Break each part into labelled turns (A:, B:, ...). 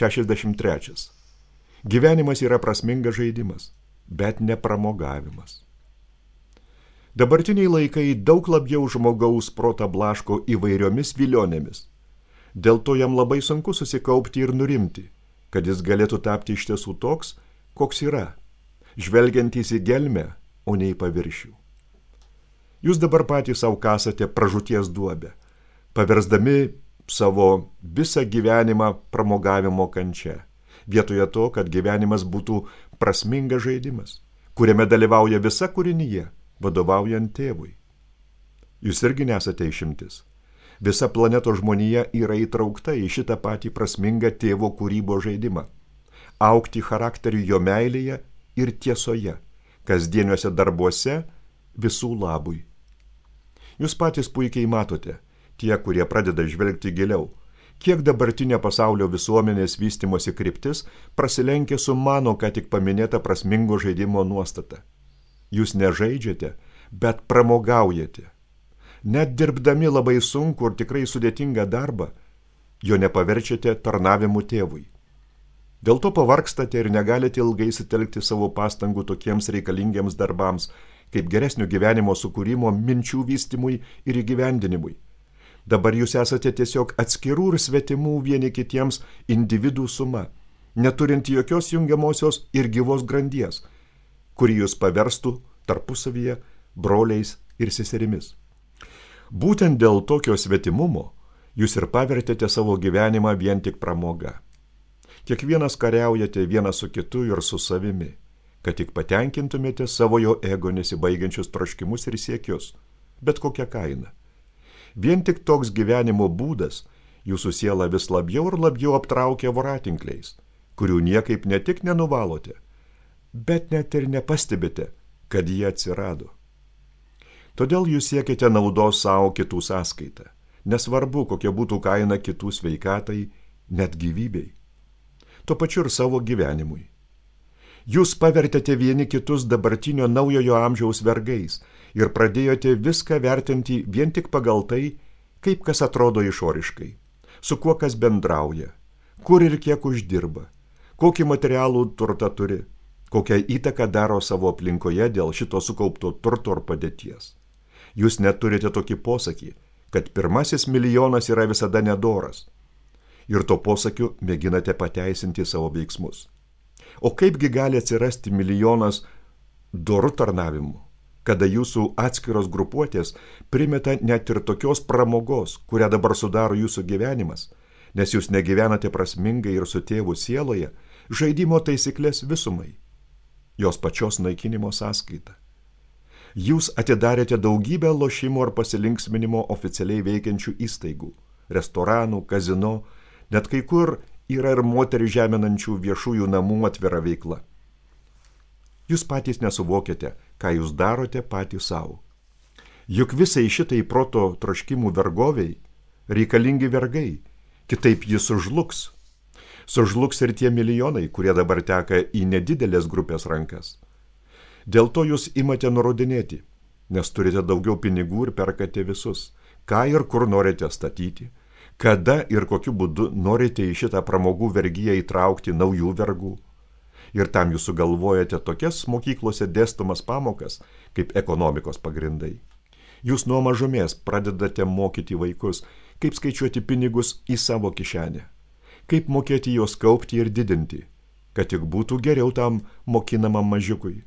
A: 63. Gyvenimas yra prasmingas žaidimas, bet ne pramogavimas. Dabartiniai laikai daug labiau žmogaus protą blaško įvairiomis vilionėmis. Dėl to jam labai sunku susikaupti ir nurimti, kad jis galėtų tapti iš tiesų toks, koks yra, žvelgiantys į gelmę, o ne į paviršių. Jūs dabar patys savo kasate pražūties duobę, paversdami savo visą gyvenimą pramogavimo kančia, vietoje to, kad gyvenimas būtų prasmingas žaidimas, kuriame dalyvauja visa kūrinyje, vadovaujant tėvui. Jūs irgi nesate išimtis. Visa planetos žmonija yra įtraukta į šitą patį prasmingą tėvo kūrybos žaidimą. Augti charakteriu jo meilėje ir tiesoje, kasdieniuose darbuose, visų labui. Jūs patys puikiai matote, tie, kurie pradeda žvelgti giliau, kiek dabartinė pasaulio visuomenės vystymosi kryptis prasilenkia su mano ką tik paminėta prasmingo žaidimo nuostata. Jūs nežaidžiate, bet pramogaujate. Net dirbdami labai sunku ir tikrai sudėtingą darbą, jo nepaverčiate tarnavimu tėvui. Dėl to pavargstate ir negalite ilgai sutelkti savo pastangų tokiems reikalingiams darbams, kaip geresnio gyvenimo sukūrimo, minčių vystymui ir įgyvendinimui. Dabar jūs esate tiesiog atskirų ir svetimų vieni kitiems individų suma, neturinti jokios jungiamosios ir gyvos grandies, kuri jūs paverstų tarpusavyje broliais ir seserimis. Būtent dėl tokio svetimumo jūs ir pavertėte savo gyvenimą vien tik pramoga. Kiekvienas kariaujate vienas su kitu ir su savimi, kad tik patenkintumėte savo jo ego nesibaigiančius troškimus ir siekius, bet kokią kainą. Vien tik toks gyvenimo būdas jūsų sielą vis labiau ir labiau aptraukia voratinkliais, kurių niekaip ne tik nenuvalote, bet net ir nepastebite, kad jie atsirado. Todėl jūs siekite naudos savo kitų sąskaitą, nesvarbu, kokia būtų kaina kitų sveikatai, net gyvybei. Tuo pačiu ir savo gyvenimui. Jūs pavertėte vieni kitus dabartinio naujojo amžiaus vergais ir pradėjote viską vertinti vien tik pagal tai, kaip kas atrodo išoriškai, su kuo kas bendrauja, kur ir kiek uždirba, kokį materialų turtą turi, kokią įtaką daro savo aplinkoje dėl šito sukaupto turto ar padėties. Jūs neturite tokį posakį, kad pirmasis milijonas yra visada nedoras, ir to posakiu mėginate pateisinti savo veiksmus. O kaipgi gali atsirasti milijonas dorų tarnavimų, kada jūsų atskiros grupuotės primeta net ir tokios pramogos, kurią dabar sudaro jūsų gyvenimas, nes jūs negyvenate prasmingai ir su tėvu sieloje, žaidimo taisyklės visumai, jos pačios naikinimo sąskaita. Jūs atidarėte daugybę lošimo ar pasilinksminimo oficialiai veikiančių įstaigų, restoranų, kazino, net kai kur yra ir moterį žeminančių viešųjų namų atvira veikla. Jūs patys nesuvokiate, ką jūs darote patys savo. Juk visai šitai proto troškimų vergoviai reikalingi vergai, kitaip jis sužlugs. Sužlugs ir tie milijonai, kurie dabar teka į nedidelės grupės rankas. Dėl to jūs imate nurodinėti, nes turite daugiau pinigų ir perkate visus, ką ir kur norite statyti, kada ir kokiu būdu norite į šitą pramogų vergiją įtraukti naujų vergų. Ir tam jūs sugalvojate tokias mokyklose dėstomas pamokas, kaip ekonomikos pagrindai. Jūs nuo mažumės pradedate mokyti vaikus, kaip skaičiuoti pinigus į savo kišenę, kaip mokėti juos kaupti ir didinti, kad tik būtų geriau tam mokinamam mažiukui.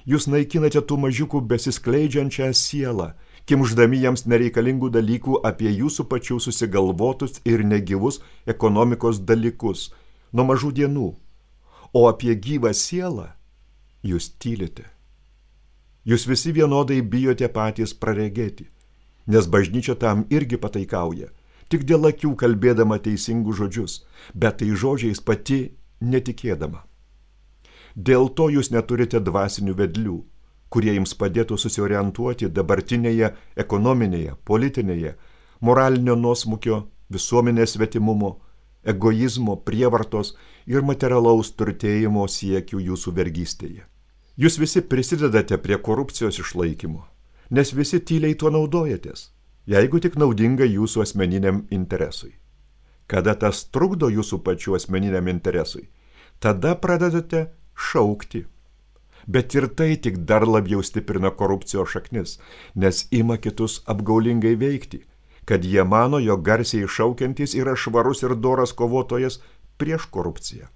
A: Jūs naikinate tų mažiukų besiskleidžiančią sielą, kimždami jiems nereikalingų dalykų apie jūsų pačių susigalvotus ir negyvus ekonomikos dalykus nuo mažų dienų, o apie gyvą sielą jūs tylite. Jūs visi vienodai bijote patys praregėti, nes bažnyčia tam irgi pataikauja, tik dėl akių kalbėdama teisingus žodžius, bet tai žodžiais pati netikėdama. Dėl to jūs neturite dvasinių vedlių, kurie jums padėtų susiorientuoti dabartinėje ekonominėje, politinėje, moralinio nuosmukio, visuomenės svetimumo, egoizmo, prievartos ir materialaus turtėjimo siekių jūsų vergystėje. Jūs visi prisidedate prie korupcijos išlaikymo, nes visi tyliai tuo naudojatės, jeigu tik naudinga jūsų asmeniniam interesui. Kada tas trukdo jūsų pačių asmeniniam interesui, tada pradedate šaukti. Bet ir tai tik dar labiau stiprina korupcijos šaknis, nes ima kitus apgaulingai veikti, kad jie mano, jog garsiai šaukiantis yra švarus ir doras kovotojas prieš korupciją.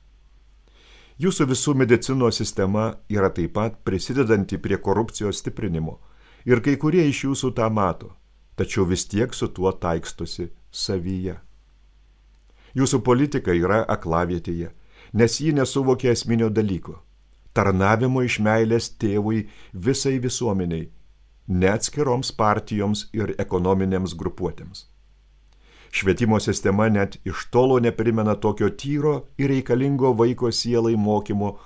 A: Jūsų visų medicinos sistema yra taip pat prisidedanti prie korupcijos stiprinimo ir kai kurie iš jūsų tą mato, tačiau vis tiek su tuo taikstosi savyje. Jūsų politika yra aklavietėje, nes ji nesuvokia esminio dalyko – tarnavimo iš meilės tėvui visai visuomeniai, ne atskiroms partijoms ir ekonominėms grupuotėms. Švietimo sistema net iš tolo neprimena tokio tyro ir reikalingo vaiko sielai mokymo,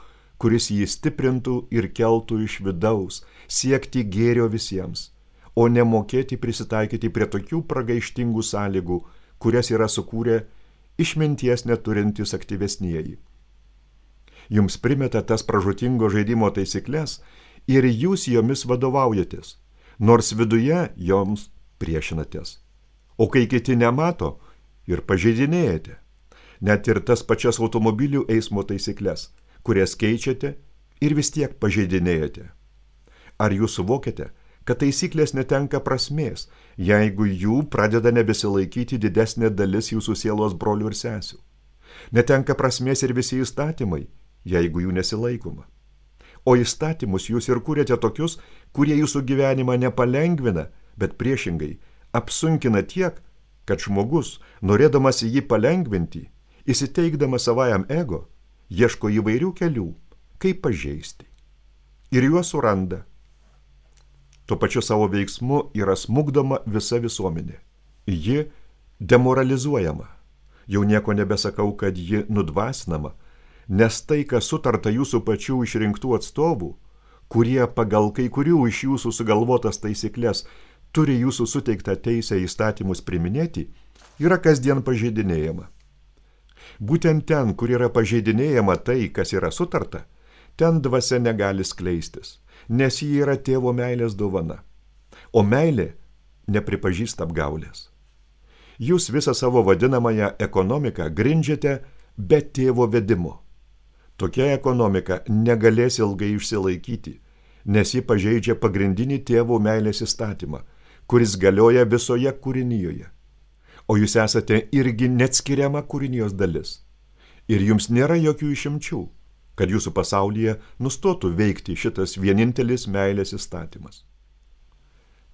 A: kuris jį stiprintų ir keltų iš vidaus, siekti gėrio visiems, o nemokėti prisitaikyti prie tokių pragaištingų sąlygų, kurias yra sukūrę išminties neturintys aktyvesnieji. Jums primeta tas pražūtingo žaidimo taisyklės ir jūs jomis vadovaujatės, nors viduje joms priešinatės. O kai kiti nemato ir pažeidinėjate, net ir tas pačias automobilių eismo taisyklės, kurias keičiate ir vis tiek pažeidinėjate. Ar jūs suvokiate, kad taisyklės netenka prasmės, jeigu jų pradeda nebesilaikyti didesnė dalis jūsų sielos brolių ir sesių? Netenka prasmės ir visi įstatymai, jeigu jų nesilaikoma. O įstatymus jūs ir kūrėte tokius, kurie jūsų gyvenimą nepalengvina, bet priešingai apsunkina tiek, kad žmogus, norėdamas jį palengvinti, įsiteikdamas savajam ego, ieško įvairių kelių, kaip pažeisti. Ir juos suranda. Tuo pačiu savo veiksmu yra smukdoma visa visuomenė. Ji demoralizuojama. Jau nieko nebesakau, kad ji nudvasinama, nes tai, kas sutarta jūsų pačių išrinktų atstovų, kurie pagal kai kurių iš jūsų sugalvotas taisyklės turi jūsų suteiktą teisę įstatymus priminėti, yra kasdien pažeidinėjama. Būtent ten, kur yra pažeidinėjama tai, kas yra sutarta, ten dvasia negali skleistis, nes ji yra tėvo meilės dovana, o meilė nepripažįsta apgaulės. Jūs visą savo vadinamąją ekonomiką grindžiate be tėvo vedimo. Tokia ekonomika negalės ilgai išsilaikyti, nes ji pažeidžia pagrindinį tėvo meilės įstatymą, kuris galioja visoje kūrinijoje. O jūs esate irgi neatskiriama kūrinijos dalis. Ir jums nėra jokių išimčių, kad jūsų pasaulyje nustotų veikti šitas vienintelis meilės įstatymas.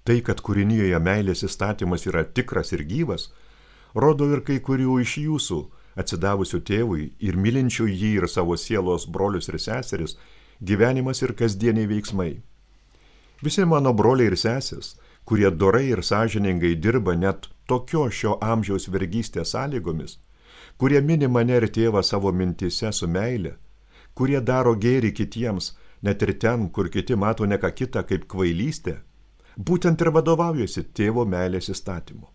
A: Tai, kad kūrinijoje meilės įstatymas yra tikras ir gyvas, rodo ir kai kurių iš jūsų, atsidavusių tėvui ir mylinčių jį ir savo sielos brolius ir seseris, gyvenimas ir kasdieniai veiksmai. Visi mano broliai ir sesės, kurie dorai ir sąžiningai dirba net tokio šio amžiaus vergystės sąlygomis, kurie mini mane ir tėvą savo mintise su meile, kurie daro gėrį kitiems, net ir ten, kur kiti mato ne ką kitą kaip kvailystę, būtent ir vadovaujasi tėvo meilės įstatymu.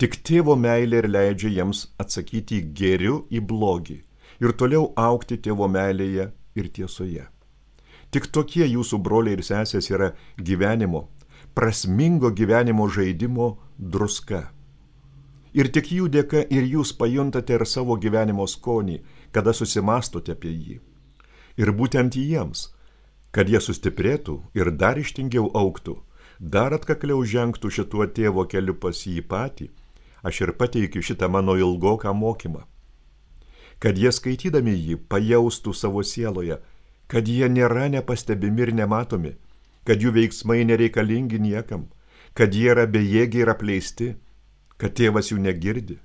A: Tik tėvo meilė ir leidžia jiems atsakyti gėriu į blogį ir toliau augti tėvo meilėje ir tiesoje. Tik tokie jūsų broliai ir sesės yra gyvenimo, prasmingo gyvenimo žaidimo druska. Ir tik jų dėka ir jūs pajuntate ir savo gyvenimo skonį, kada susimastote apie jį. Ir būtent jiems, kad jie sustiprėtų ir dar ištingiau augtų, dar atkakliau žengtų šituo tėvo keliu pas jį patį, aš ir pateikiu šitą mano ilgoką mokymą. Kad jie skaitydami jį pajaustų savo sieloje, kad jie nėra nepastebimi ir nematomi, kad jų veiksmai nereikalingi niekam, kad jie yra bejėgiai ir apleisti, kad tėvas jų negirdi,